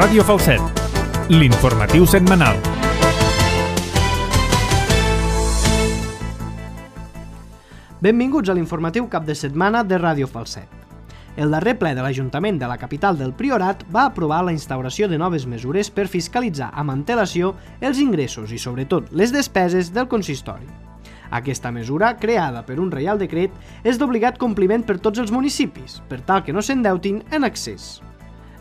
Ràdio Falset, l'informatiu setmanal. Benvinguts a l'informatiu cap de setmana de Ràdio Falset. El darrer ple de l'Ajuntament de la capital del Priorat va aprovar la instauració de noves mesures per fiscalitzar amb antelació els ingressos i, sobretot, les despeses del consistori. Aquesta mesura, creada per un reial decret, és d'obligat compliment per tots els municipis, per tal que no s'endeutin en excés.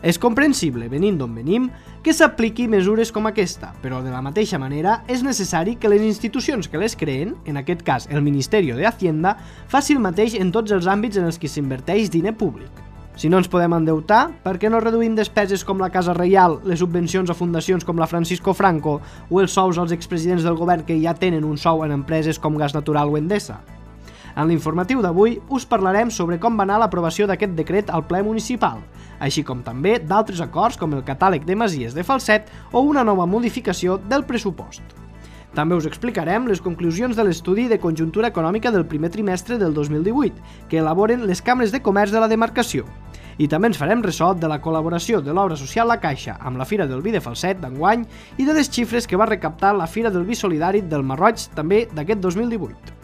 És comprensible, venint d'on venim, que s'apliqui mesures com aquesta, però de la mateixa manera és necessari que les institucions que les creen, en aquest cas el Ministeri de Hacienda, faci el mateix en tots els àmbits en els que s'inverteix diner públic. Si no ens podem endeutar, per què no reduïm despeses com la Casa Reial, les subvencions a fundacions com la Francisco Franco o els sous als expresidents del govern que ja tenen un sou en empreses com Gas Natural o Endesa? En l'informatiu d'avui us parlarem sobre com va anar l'aprovació d'aquest decret al ple municipal, així com també d'altres acords com el catàleg de masies de Falset o una nova modificació del pressupost. També us explicarem les conclusions de l'estudi de conjuntura econòmica del primer trimestre del 2018, que elaboren les cambres de comerç de la demarcació. I també ens farem ressò de la col·laboració de l'obra social La Caixa amb la Fira del Vi de Falset d'enguany i de les xifres que va recaptar la Fira del Vi Solidari del Marroig també d'aquest 2018.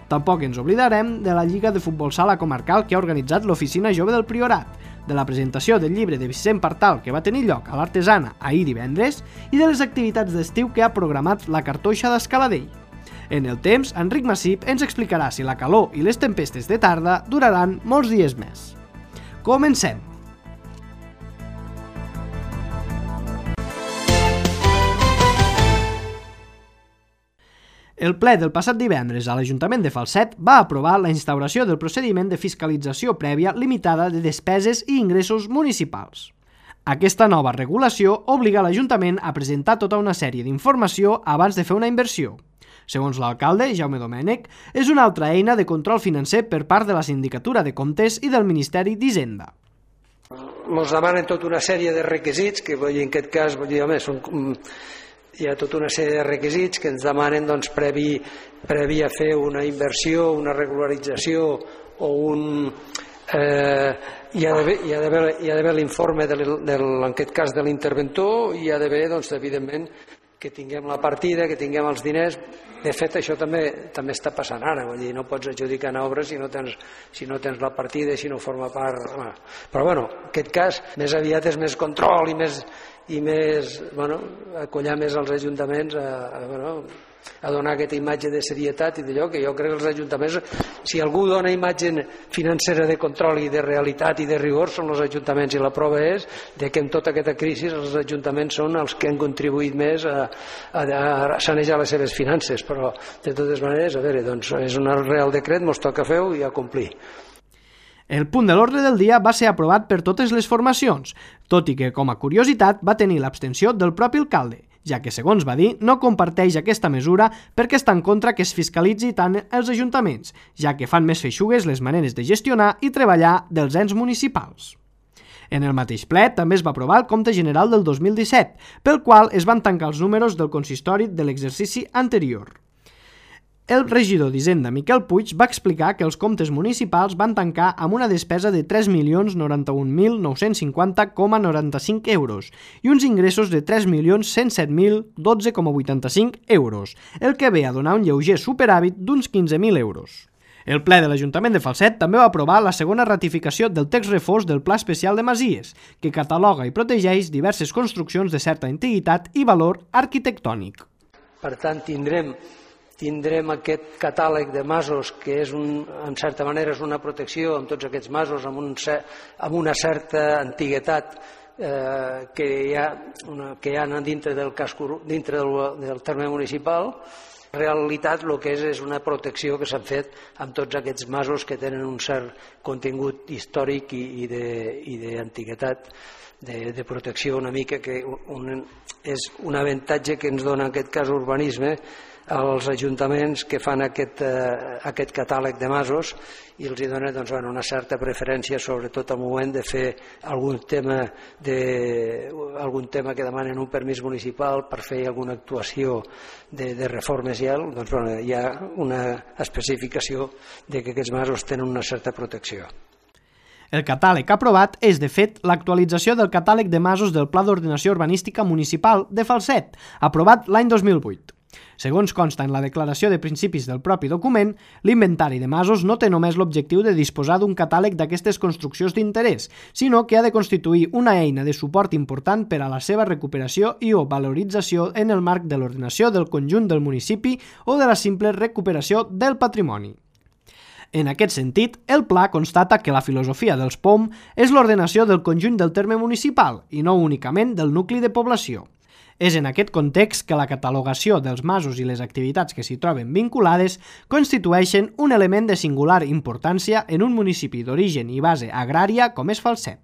Tampoc ens oblidarem de la Lliga de Futbol Sala Comarcal que ha organitzat l'Oficina Jove del Priorat, de la presentació del llibre de Vicent Partal que va tenir lloc a l'Artesana ahir divendres i de les activitats d'estiu que ha programat la Cartoixa d'Escaladell. En el temps, Enric Massip ens explicarà si la calor i les tempestes de tarda duraran molts dies més. Comencem! El ple del passat divendres a l'Ajuntament de Falset va aprovar la instauració del procediment de fiscalització prèvia limitada de despeses i ingressos municipals. Aquesta nova regulació obliga l'Ajuntament a presentar tota una sèrie d'informació abans de fer una inversió. Segons l'alcalde, Jaume Domènech, és una altra eina de control financer per part de la Sindicatura de Comptes i del Ministeri d'Hisenda. Ens demanen tota una sèrie de requisits que en aquest cas hi ha tota una sèrie de requisits que ens demanen previ a fer una inversió, una regularització o hi ha d'haver l'informe en aquest cas de l'interventor i hi ha d'haver, evidentment, que tinguem la partida, que tinguem els diners. De fet, això també està passant ara, vull dir, no pots adjudicar en obres si no tens la partida, si no forma part. Però en aquest cas, més aviat és més control i més acollar més els ajuntaments a donar aquesta imatge de serietat i d'allò que jo crec que els ajuntaments, si algú dona imatge financera de control i de realitat i de rigor, són els ajuntaments, i la prova és que en tota aquesta crisi els ajuntaments són els que han contribuït més a sanejar les seves finances, però de totes maneres, és un real decret, ens toca fer-ho i a complir. El punt de l'ordre del dia va ser aprovat per totes les formacions, tot i que, com a curiositat, va tenir l'abstenció del propi alcalde, ja que, segons va dir, no comparteix aquesta mesura perquè està en contra que es fiscalitzi tant els ajuntaments, ja que fan més feixugues les maneres de gestionar i treballar dels ens municipals. En el mateix ple també es va aprovar el compte general del 2017, pel qual es van tancar els números del consistori de l'exercici anterior. El regidor d'Hisenda, Miquel Puig, va explicar que els comptes municipals van tancar amb una despesa de 3.091.950,95 euros i uns ingressos de 3.107.012,85 euros, el que ve a donar un lleuger superàvit d'uns 15.000 euros. El ple de l'Ajuntament de Falset també va aprovar la segona ratificació del text refós del Pla Especial de Masies, que cataloga i protegeix diverses construccions de certa antiguitat i valor arquitectònic. Per tant, tindrem aquest catàleg de masos que en certa manera és una protecció amb tots aquests masos amb una certa antiguitat que hi ha dintre del terme municipal. En realitat el que és una protecció que s'ha fet amb tots aquests masos que tenen un cert contingut històric i d'antiguitat, de protecció una mica, que és un avantatge que ens dona en aquest cas urbanisme als ajuntaments que fan aquest catàleg de masos i els dona una certa preferència, sobretot al moment de fer algun tema que demanen un permís municipal per fer alguna actuació de reformes hi ha una especificació de que aquests masos tenen una certa protecció. El catàleg aprovat és, de fet, l'actualització del catàleg de masos del Pla d'Ordenació Urbanística Municipal de Falset, aprovat l'any 2008. Segons consta en la declaració de principis del propi document, l'inventari de masos no té només l'objectiu de disposar d'un catàleg d'aquestes construccions d'interès, sinó que ha de constituir una eina de suport important per a la seva recuperació i o valorització en el marc de l'ordenació del conjunt del municipi o de la simple recuperació del patrimoni. En aquest sentit, el pla constata que la filosofia dels POM és l'ordenació del conjunt del terme municipal i no únicament del nucli de població. És en aquest context que la catalogació dels masos i les activitats que s'hi troben vinculades constitueixen un element de singular importància en un municipi d'origen i base agrària com és Falset.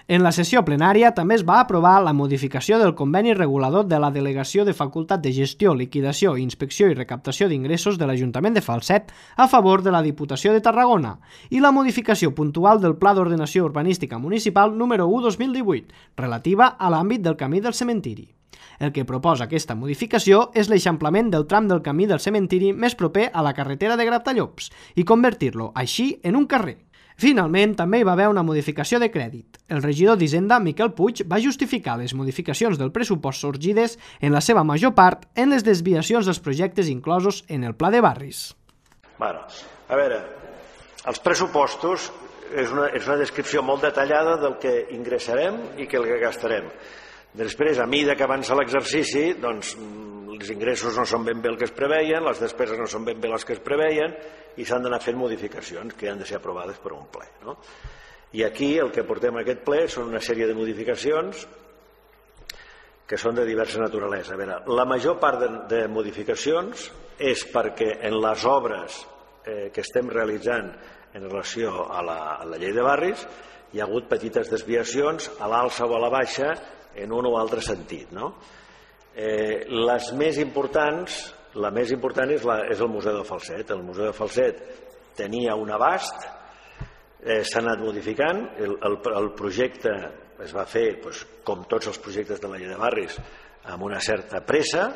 En la sessió plenària també es va aprovar la modificació del conveni regulador de la Delegació de Facultat de Gestió, Liquidació, Inspecció i Recaptació d'Ingressos de l'Ajuntament de Falset a favor de la Diputació de Tarragona i la modificació puntual del Pla d'Ordenació Urbanística Municipal número 1/2018, relativa a l'àmbit del camí del cementiri. El que proposa aquesta modificació és l'eixamplament del tram del camí del cementiri més proper a la carretera de Gratallops i convertir-lo, així, en un carrer. Finalment, també hi va haver una modificació de crèdit. El regidor d'Hisenda, Miquel Puig, va justificar les modificacions del pressupost sorgides, en la seva major part, en les desviacions dels projectes inclosos en el Pla de Barris. A veure, els pressupostos és una descripció molt detallada del que ingressarem i el que gastarem. Després, a mesura que avança l'exercici, doncs, els ingressos no són ben bé el que es preveien, les despeses no són ben bé les que es preveien i s'han d'anar fent modificacions que han de ser aprovades per un ple. I aquí el que portem a aquest ple són una sèrie de modificacions que són de diversa naturalesa. A veure, la major part de modificacions és perquè en les obres que estem realitzant en relació a la llei de barris hi ha hagut petites desviacions a l'alça o a la baixa en un o altre sentit. Les més importants, la més important és el Museu de Falset. El Museu de Falset tenia un abast, s'ha anat modificant, el projecte es va fer, com tots els projectes de la llei de barris, amb una certa pressa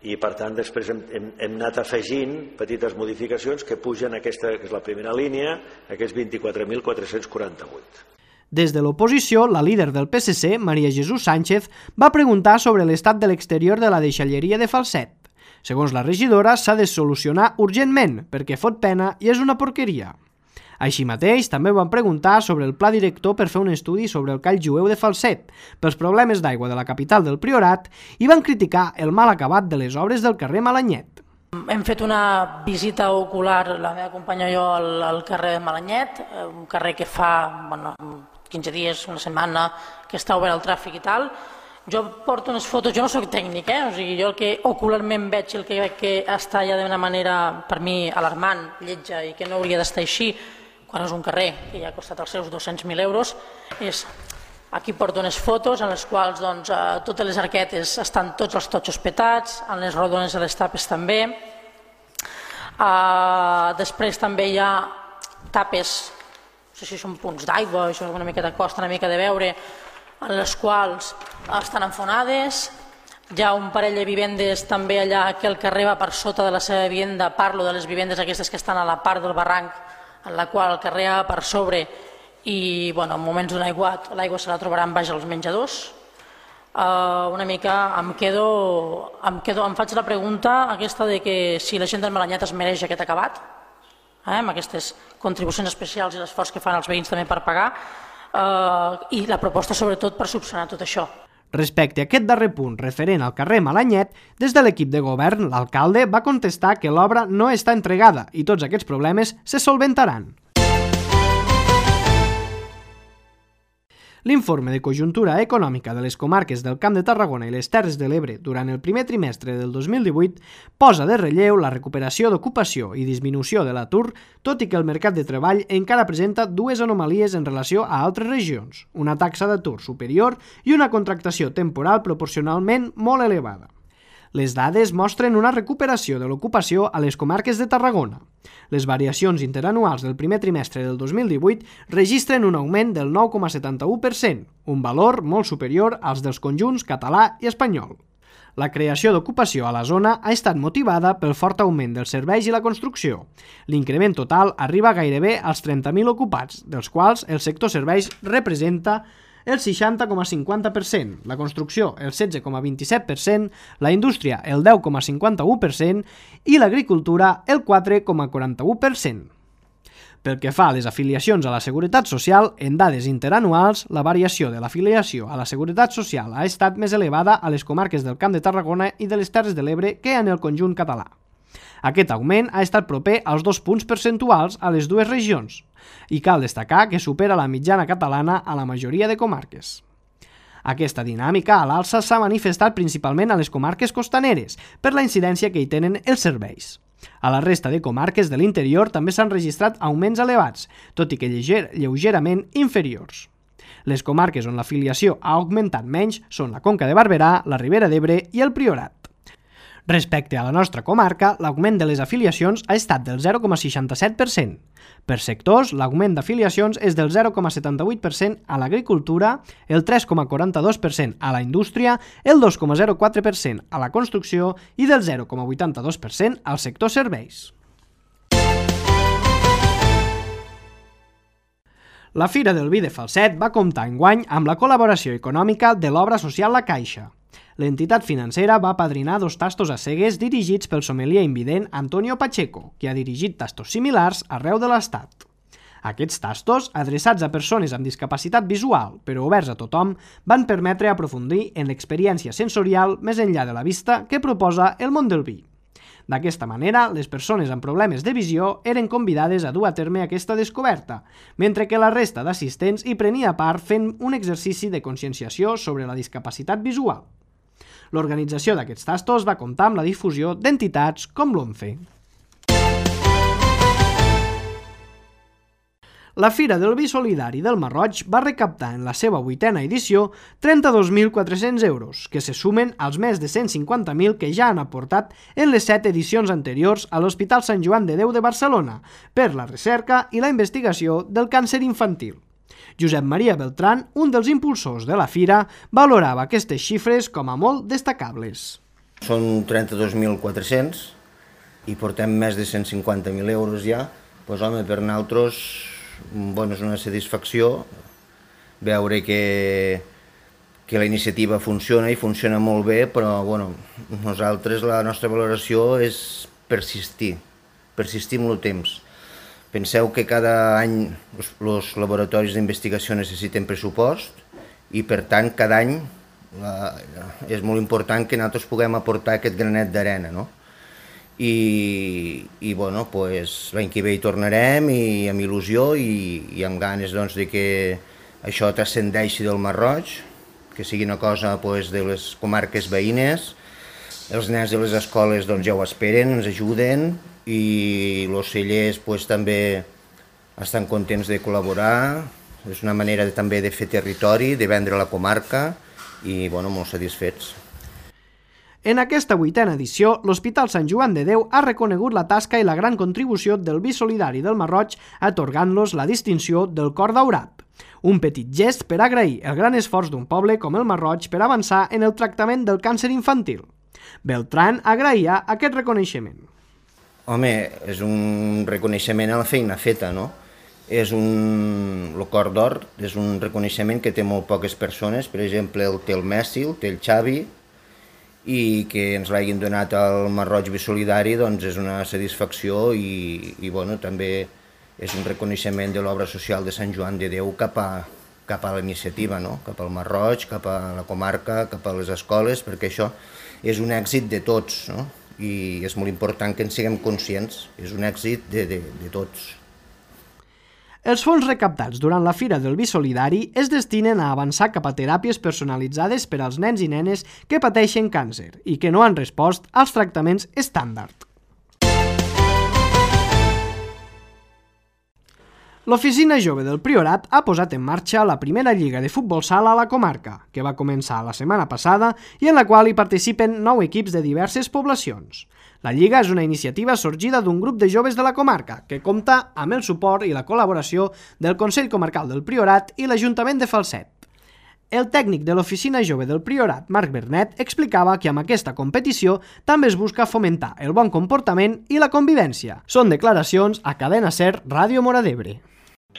i per tant després hem anat afegint petites modificacions que pugen aquesta, que és la primera línia, aquests 24.448. Des de l'oposició, la líder del PSC, Maria Jesús Sánchez, va preguntar sobre l'estat de l'exterior de la deixalleria de Falset. Segons la regidora, s'ha de solucionar urgentment, perquè fot pena i és una porqueria. Així mateix, també van preguntar sobre el pla director per fer un estudi sobre el call jueu de Falset, pels problemes d'aigua de la capital del Priorat, i van criticar el mal acabat de les obres del carrer Malanyet. Hem fet una visita ocular, la meva companya i jo, al carrer de Malanyet, un carrer que fa 15 dies, una setmana, que està obert al tràfic i tal. Jo porto unes fotos, jo no soc tècnic, o sigui, jo el que ocularment veig, el que veig que està ja d'una manera, per mi, alarmant, lletja i que no hauria d'estar així, quan és un carrer que ja ha costat els seus 200.000 euros, és... Aquí porto unes fotos en les quals totes les arquetes estan tots els totxos petats, en les rodones de les tapes també. Després també hi ha tapes, no sé si són punts d'aigua, això una mica de costa, una mica de veure, en les quals estan enfonades. Hi ha un parell de vivendes també allà que el carrer va per sota de la seva vivenda, parlo de les vivendes aquestes que estan a la part del barranc, en la qual el carrer va per sobre i en moments d'un aiguat l'aigua se la trobaran baix als menjadors. Una mica em faig la pregunta aquesta de que si la gent del Malanyet es mereix aquest acabat, amb aquestes contribucions especials i l'esforç que fan els veïns també per pagar, i la proposta sobretot per subsanar tot això. Respecte a aquest darrer punt referent al carrer Malanyet, des de l'equip de govern, l'alcalde va contestar que l'obra no està entregada i tots aquests problemes se solventaran. L'informe de conjuntura econòmica de les comarques del Camp de Tarragona i les Terres de l'Ebre durant el primer trimestre del 2018 posa de relleu la recuperació d'ocupació i disminució de l'atur, tot i que el mercat de treball encara presenta dues anomalies en relació a altres regions, una taxa d'atur superior i una contractació temporal proporcionalment molt elevada. Les dades mostren una recuperació de l'ocupació a les comarques de Tarragona. Les variacions interanuals del primer trimestre del 2018 registren un augment del 9,71%, un valor molt superior als dels conjunts català i espanyol. La creació d'ocupació a la zona ha estat motivada pel fort augment dels serveis i la construcció. L'increment total arriba gairebé als 30.000 ocupats, dels quals el sector serveis representa el 60,50%, la construcció el 16,27%, la indústria el 10,51% i l'agricultura el 4,41%. Pel que fa a les afiliacions a la Seguretat Social, en dades interanuals, la variació de l'afiliació a la Seguretat Social ha estat més elevada a les comarques del Camp de Tarragona i de les Terres de l'Ebre que en el conjunt català. Aquest augment ha estat proper als 2 punts percentuals a les dues regions, i cal destacar que supera la mitjana catalana a la majoria de comarques. Aquesta dinàmica a l'alça s'ha manifestat principalment a les comarques costaneres, per la incidència que hi tenen els serveis. A la resta de comarques de l'interior també s'han registrat augments elevats, tot i que lleugerament inferiors. Les comarques on l'afiliació ha augmentat menys són la Conca de Barberà, la Ribera d'Ebre i el Priorat. Respecte a la nostra comarca, l'augment de les afiliacions ha estat del 0,67%. Per sectors, l'augment d'afiliacions és del 0,78% a l'agricultura, el 3,42% a la indústria, el 2,04% a la construcció i del 0,82% al sector serveis. La Fira del Vi de Falset va comptar enguany amb la col·laboració econòmica de l'Obra Social La Caixa. L'entitat financera va apadrinar 2 tastos a cegues dirigits pel sommelier invident Antonio Pacheco, que ha dirigit tastos similars arreu de l'Estat. Aquests tastos, adreçats a persones amb discapacitat visual, però oberts a tothom, van permetre aprofundir en l'experiència sensorial més enllà de la vista que proposa el món del vi. D'aquesta manera, les persones amb problemes de visió eren convidades a dur a terme aquesta descoberta, mentre que la resta d'assistents hi prenia part fent un exercici de conscienciació sobre la discapacitat visual. L'organització d'aquests tastos va comptar amb la difusió d'entitats com l'ONCE. La Fira del Vi Solidari del Marroig va recaptar en la seva 8a edició 32.400 euros, que se sumen als més de 150.000 que ja han aportat en les 7 edicions anteriors a l'Hospital Sant Joan de Déu de Barcelona per la recerca i la investigació del càncer infantil. Josep Maria Beltran, un dels impulsors de la fira, valorava aquestes xifres com a molt destacables. Són 32.400 i portem més de 150.000 euros ja. Doncs home, per nosaltres és una satisfacció veure que la iniciativa funciona i funciona molt bé, però nosaltres la nostra valoració és persistir amb el temps. Penseu que cada any els laboratoris d'investigació necessiten pressupost i, per tant, cada any és molt important que nosaltres puguem aportar aquest granet d'arena, no? I l'any que ve hi tornarem i amb il·lusió i amb ganes de que això transcendeixi del Marroig, que sigui una cosa de les comarques veïnes. Els nens de les escoles ja ho esperen, ens ajuden, i els cellers també estan contents de col·laborar. És una manera també de fer territori, de vendre la comarca i molt satisfets. En aquesta 8a edició, l'Hospital Sant Joan de Déu ha reconegut la tasca i la gran contribució del Vi Solidari del Marroig, atorgant-los la distinció del Cor Daurat. Un petit gest per agrair el gran esforç d'un poble com el Marroig per avançar en el tractament del càncer infantil. Beltran agraïa aquest reconeixement. Home, és un reconeixement a la feina feta, no? El Cor d'Or és un reconeixement que té molt poques persones, per exemple, el té el Messi, el té el Xavi, i que ens l'hagin donat al Marroig Vi Solidari és una satisfacció i també és un reconeixement de l'obra social de Sant Joan de Déu cap a la iniciativa, cap al Marroig, cap a la comarca, cap a les escoles, perquè això és un èxit de tots, i és molt important que en siguem conscients, és un èxit de tots. Els fons recaptats durant la Fira del Vi Solidari es destinen a avançar cap a teràpies personalitzades per als nens i nenes que pateixen càncer i que no han respost als tractaments estàndard. L'Oficina Jove del Priorat ha posat en marxa la primera lliga de futbol sala a la comarca, que va començar la setmana passada i en la qual hi participen 9 equips de diverses poblacions. La lliga és una iniciativa sorgida d'un grup de joves de la comarca, que compta amb el suport i la col·laboració del Consell Comarcal del Priorat i l'Ajuntament de Falset. El tècnic de l'Oficina Jove del Priorat, Marc Bernet, explicava que amb aquesta competició també es busca fomentar el bon comportament i la convivència. Són declaracions a Cadena Ser, Ràdio Móra d'Ebre.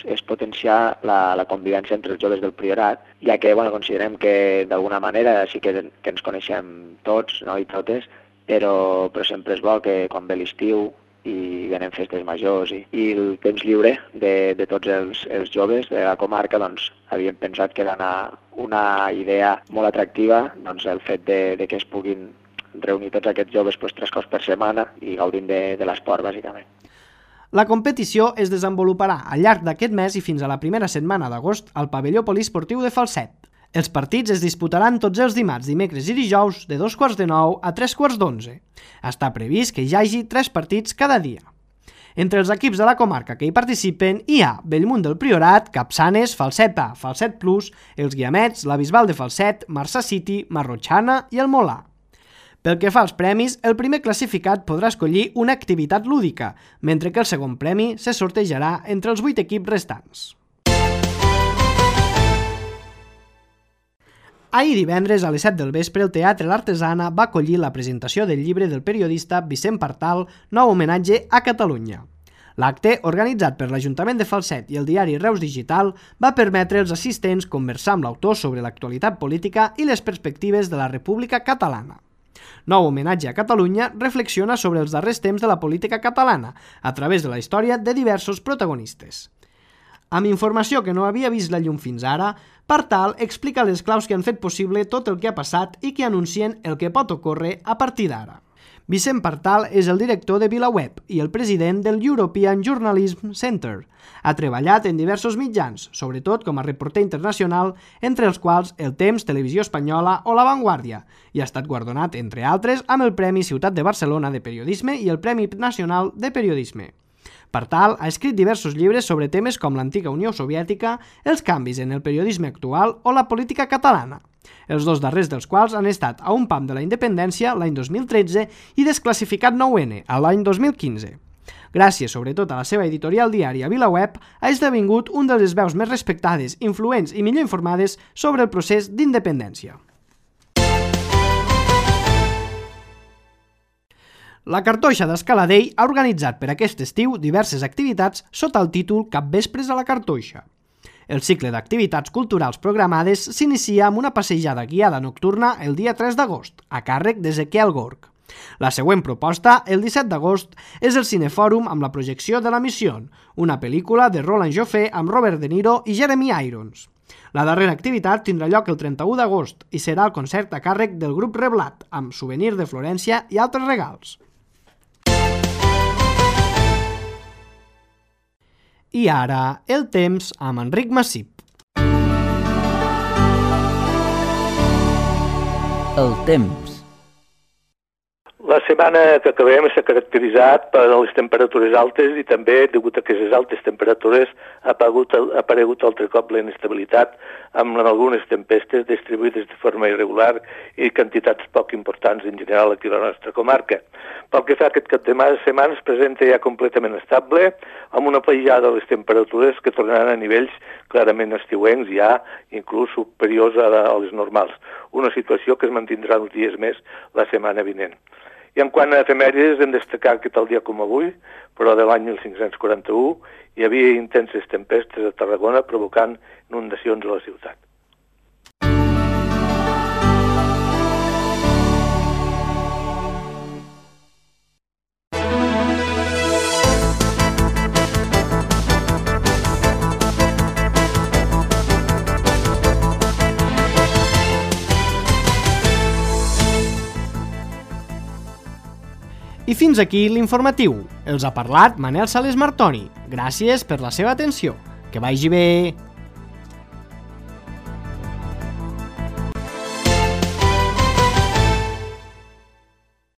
És potenciar la convivència entre els joves del Priorat, ja que considerem que d'alguna manera sí que ens coneixem tots, no, i totes, però sempre és bo que quan ve l'estiu i venen festes majors i el temps lliure de tots els joves de la comarca, havíem pensat que era una idea molt atractiva el fet de que es puguin reunir tots aquests joves 3 cops per setmana i gaudint de l'esport, bàsicament. La competició es desenvoluparà al llarg d'aquest mes i fins a la primera setmana d'agost al pavelló poliesportiu de Falset. Els partits es disputaran tots els dimarts, dimecres i dijous de 8:45 a 11:45. Està previst que hi hagi 3 partits cada dia. Entre els equips de la comarca que hi participen hi ha Bellmunt del Priorat, Capçanes, Falset A, Falset Plus, els Guiamets, la Bisbal de Falset, Marçà City, Marrotxana i el Molà. Pel que fa als premis, el primer classificat podrà escollir una activitat lúdica, mentre que el segon premi se sortejarà entre els 8 equips restants. Ahir divendres a les 7 del vespre el Teatre L'Artesana va acollir la presentació del llibre del periodista Vicent Partal, Nou homenatge a Catalunya. L'acte, organitzat per l'Ajuntament de Falset i el diari Reus Digital, va permetre als assistents conversar amb l'autor sobre l'actualitat política i les perspectives de la República Catalana. Nou homenatge a Catalunya reflexiona sobre els darrers temps de la política catalana a través de la història de diversos protagonistes. Amb informació que no havia vist la llum fins ara, Partal explica les claus que han fet possible tot el que ha passat i que anuncien el que pot ocórrer a partir d'ara. Vicent Partal és el director de VilaWeb i el president del European Journalism Center. Ha treballat en diversos mitjans, sobretot com a reporter internacional, entre els quals El Temps, Televisió Espanyola o La Vanguardia, i ha estat guardonat, entre altres, amb el Premi Ciutat de Barcelona de Periodisme i el Premi Nacional de Periodisme. Partal ha escrit diversos llibres sobre temes com l'antiga Unió Soviètica, els canvis en el periodisme actual o la política catalana, els 2 darrers dels quals han estat A un pam de la independència l'any 2013 i Desclassificat 9N l'any 2015. Gràcies sobretot a la seva editorial diària VilaWeb, ha esdevingut un de les veus més respectades, influents i millor informades sobre el procés d'independència. La Cartoixa d'Escaladell ha organitzat per aquest estiu diverses activitats sota el títol Capvespres a la Cartoixa. El cicle d'activitats culturals programades s'inicia amb una passejada guiada nocturna el dia 3 d'agost, a càrrec d'Ezequiel Gorg. La següent proposta, el 17 d'agost, és el Cinefòrum amb la projecció de La Missió, una pel·lícula de Roland Joffé amb Robert De Niro i Jeremy Irons. La darrera activitat tindrà lloc el 31 d'agost i serà el concert a càrrec del grup Reblat, amb Souvenir de Florència i altres regals. I ara, el temps amb Enric Massip. El temps. La setmana que acabem s'ha caracteritzat per les temperatures altes i també, degut a aquestes altes temperatures, ha aparegut altre cop la inestabilitat amb algunes tempestes distribuïdes de forma irregular i quantitats poc importants en general aquí a la nostra comarca. Pel que fa a aquest cap de setmana es presenta ja completament estable, amb una pujada de les temperatures que tornaran a nivells clarament estiuencs, ja inclús superiors a les normals. Una situació que es mantindrà uns dies més la setmana vinent. I en quant a efemèrides, hem destacat que tal dia com avui, però de l'any 1541, hi havia intenses tempestes a Tarragona provocant inundacions a la ciutat. I fins aquí l'informatiu. Els ha parlat Manel Sales Martoni. Gràcies per la seva atenció. Que vagi bé!